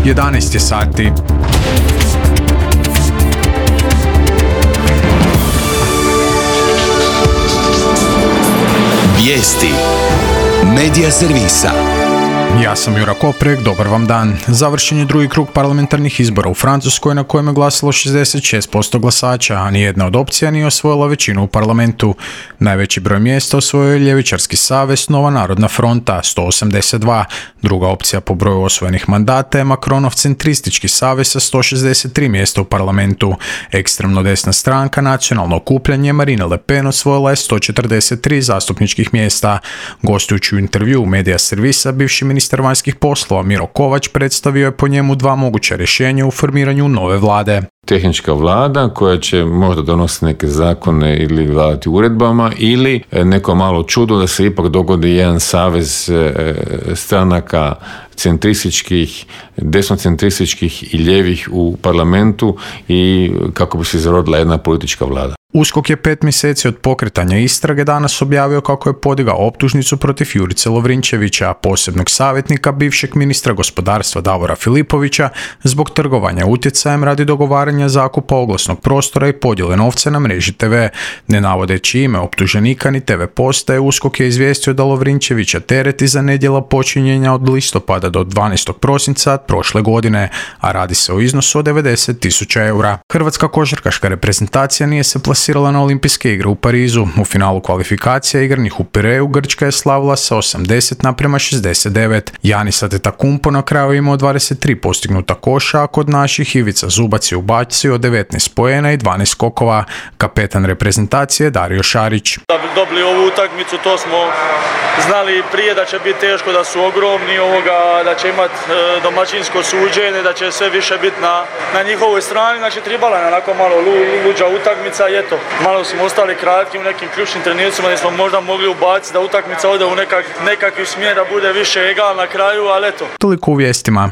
11 je sati. Vijesti Medija servisa. Ja sam Jura Koprek, dobar vam dan. Završen je drugi krug parlamentarnih izbora u Francuskoj na kojem je glasalo 66% glasača, a nijedna od opcija nije osvojila većinu u parlamentu. Najveći broj mjesta osvojio je Ljevičarski savez Nova narodna fronta, 182. Druga opcija po broju osvojenih mandata je Macronov centristički savez sa 163 mjesta u parlamentu. Ekstremno desna stranka Nacionalno okupljanje Marine Le Pen osvojila je 143 zastupničkih mjesta. Gostujući u intervju u Medija servisa, bivši ministar vanjskih poslova Miro Kovač predstavio je po njemu dva moguća rješenja u formiranju nove vlade. Tehnička vlada koja će možda donositi neke zakone ili vladati uredbama, ili neko malo čudo da se ipak dogodi jedan savez stranaka centrističkih, desnocentrističkih i ljevih u parlamentu i kako bi se izrodila jedna politička vlada. USKOK je 5 mjeseci od pokretanja istrage danas objavio kako je podigao optužnicu protiv Jurice Lovrinčevića, posebnog savjetnika bivšeg ministra gospodarstva Davora Filipovića, zbog trgovanja utjecajem radi dogovaranja zakupa oglasnog prostora i podjele novca na mreži TV. Ne navodeći ime optuženika ni TV postaje, USKOK je izvijestio da Lovrinčevića tereti za nedjela počinjenja od listopada do 12. prosinca prošle godine, a radi se o iznosu od 90.000 eura. Hrvatska košarkaška reprezentacija nije se plasirala na olimpijske igre u Parizu. U finalu kvalifikacija igranih u Pireju Grčka je slavila sa 80:69. Giannis Antetokounmpo na kraju imao 23 postignuta koša, a kod naših Ivica Zubac je ubacio 19 poena i 12 skokova. Kapetan reprezentacije Dario Šarić. Da bi dobili ovu utakmicu, to smo znali prije da će biti teško, da su ogromni, da će imati domaćinsko suđenje, da će sve više biti na njihovoj strani. Znači tribala je onako malo luđa utakmica i eto, malo smo ostali kratki u nekim ključnim trenucima gdje smo možda mogli ubaciti da utakmica ode u nekakvi smjer, da bude više egal na kraju, ali eto. Toliko u vijestima.